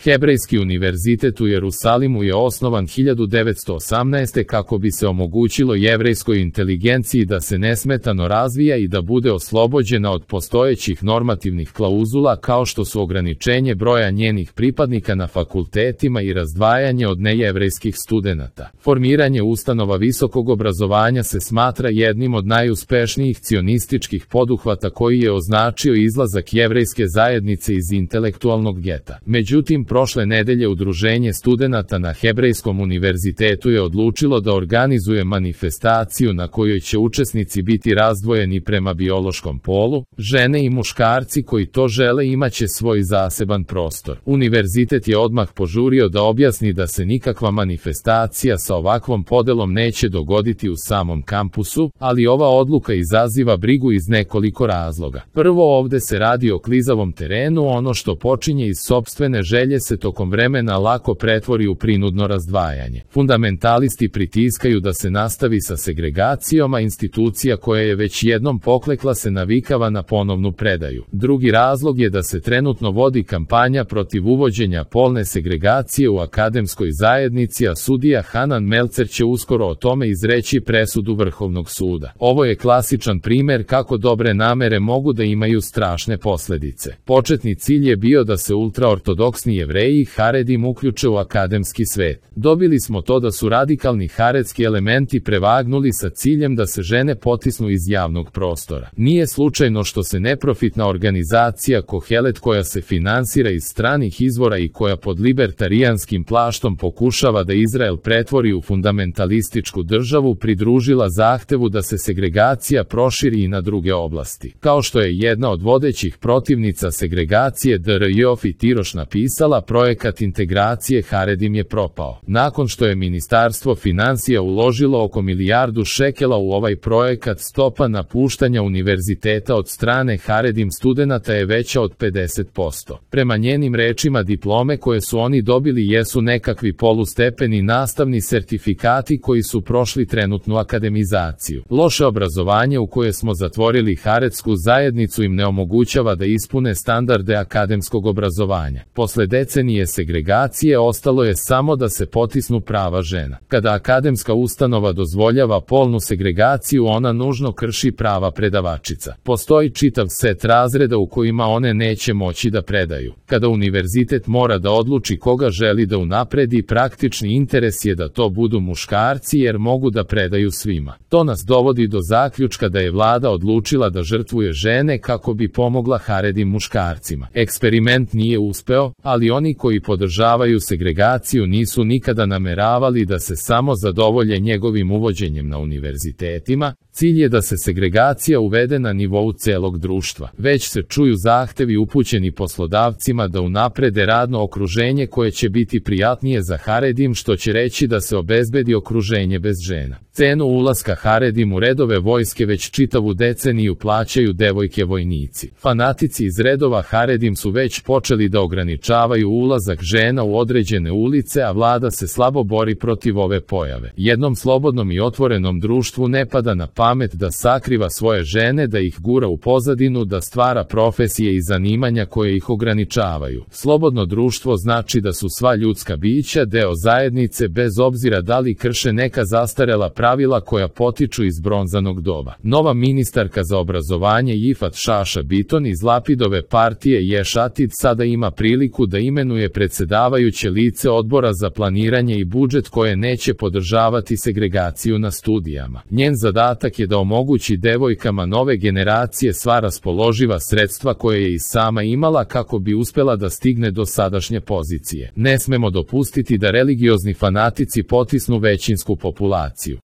Hebrejski univerzitet u Jerusalimu je osnovan 1918. kako bi se omogućilo jevrejskoj inteligenciji da se nesmetano razvija i da bude oslobođena od postojećih normativnih klauzula kao što su ograničenje broja njenih pripadnika na fakultetima i razdvajanje od nejevrejskih studenata. Formiranje ustanova visokog obrazovanja se smatra jednim od najuspešnijih cionističkih poduhvata koji je označio izlazak jevrejske zajednice iz intelektualnog geta. Međutim, prošle nedelje Udruženje studenata na Hebrejskom univerzitetu je odlučilo da organizuje manifestaciju na kojoj će učesnici biti razdvojeni prema biološkom polu. Žene i muškarci koji to žele imaće svoj zaseban prostor. Univerzitet je odmah požurio da objasni da se nikakva manifestacija sa ovakvom podelom neće dogoditi u samom kampusu, ali ova odluka izaziva brigu iz nekoliko razloga. Prvo, ovde se radi o klizavom terenu, ono što počinje iz sopstvene želje se tokom vremena lako pretvori u prinudno razdvajanje. Fundamentalisti pritiskaju da se nastavi sa segregacijom, a institucija koja je već jednom poklekla se navikava na ponovnu predaju. Drugi razlog je da se trenutno vodi kampanja protiv uvođenja polne segregacije u akademskoj zajednici, a sudija Hanan Melcer će uskoro o tome izreći presudu Vrhovnog suda. Ovo je klasičan primer kako dobre namere mogu da imaju strašne posledice. Početni cilj je bio da se ultraortodoksni Jevreji i Haredim uključe u akademski svet. Dobili smo to da su radikalni haredski elementi prevagnuli sa ciljem da se žene potisnu iz javnog prostora. Nije slučajno što se neprofitna organizacija Kohelet, koja se finansira iz stranih izvora i koja pod libertarijanskim plaštom pokušava da Izrael pretvori u fundamentalističku državu, pridružila zahtevu da se segregacija proširi i na druge oblasti. Kao što je jedna od vodećih protivnica segregacije Dr. Jofi Tiroš napisala, projekat integracije Haredim je propao. Nakon što je Ministarstvo finansija uložilo oko milijardu šekela u ovaj projekat, stopa napuštanja univerziteta od strane Haredim studenata je veća od 50%. Prema njenim rečima, diplome koje su oni dobili jesu nekakvi polustepeni nastavni sertifikati koji su prošli trenutnu akademizaciju. Loše obrazovanje u koje smo zatvorili haredsku zajednicu im ne omogućava da ispune standarde akademskog obrazovanja. Posle decenije segregacije ostalo je samo da se potisnu prava žena. Kada akademska ustanova dozvoljava polnu segregaciju, ona nužno krši prava predavačica. Postoji čitav set razreda u kojima one neće moći da predaju. Kada univerzitet mora da odluči koga želi da unapredi, praktični interes je da to budu muškarci jer mogu da predaju svima. To nas dovodi do zaključka da je vlada odlučila da žrtvuje žene kako bi pomogla haredim muškarcima. Eksperiment nije uspeo, ali oni koji podržavaju segregaciju nisu nikada nameravali da se samo zadovolje njegovim uvođenjem na univerzitetima. Cilj je da se segregacija uvede na nivou celog društva. Već se čuju zahtevi upućeni poslodavcima da unaprede radno okruženje koje će biti prijatnije za haredim, što će reći da se obezbedi okruženje bez žena. Cenu ulaska haredim u redove vojske već čitavu deceniju plaćaju devojke vojnici. Fanatici iz redova haredim su već počeli da ograničavaju ulazak žena u određene ulice, a vlada se slabo bori protiv ove pojave. Jednom slobodnom i otvorenom društvu ne pada na pamet da sakriva svoje žene, da ih gura u pozadinu, da stvara profesije i zanimanja koje ih ograničavaju. Slobodno društvo znači da su sva ljudska bića deo zajednice bez obzira da li krše neka zastarela pravila koja potiču iz bronzanog doba. Nova ministarka za obrazovanje Yifat Šaša Biton iz Lapidove partije Ješ Atid sada ima priliku da imenuje predsedavajuće lice odbora za planiranje i budžet koje neće podržavati segregaciju na studijama. Njen zadatak je da omogući devojkama nove generacije sva raspoloživa sredstva koje je i sama imala kako bi uspela da stigne do sadašnje pozicije. Ne smemo dopustiti da religiozni fanatici potisnu većinsku populaciju.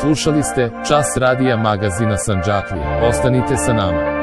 Slušali ste Čas radija magazina Sandžaklije. Ostanite sa nama.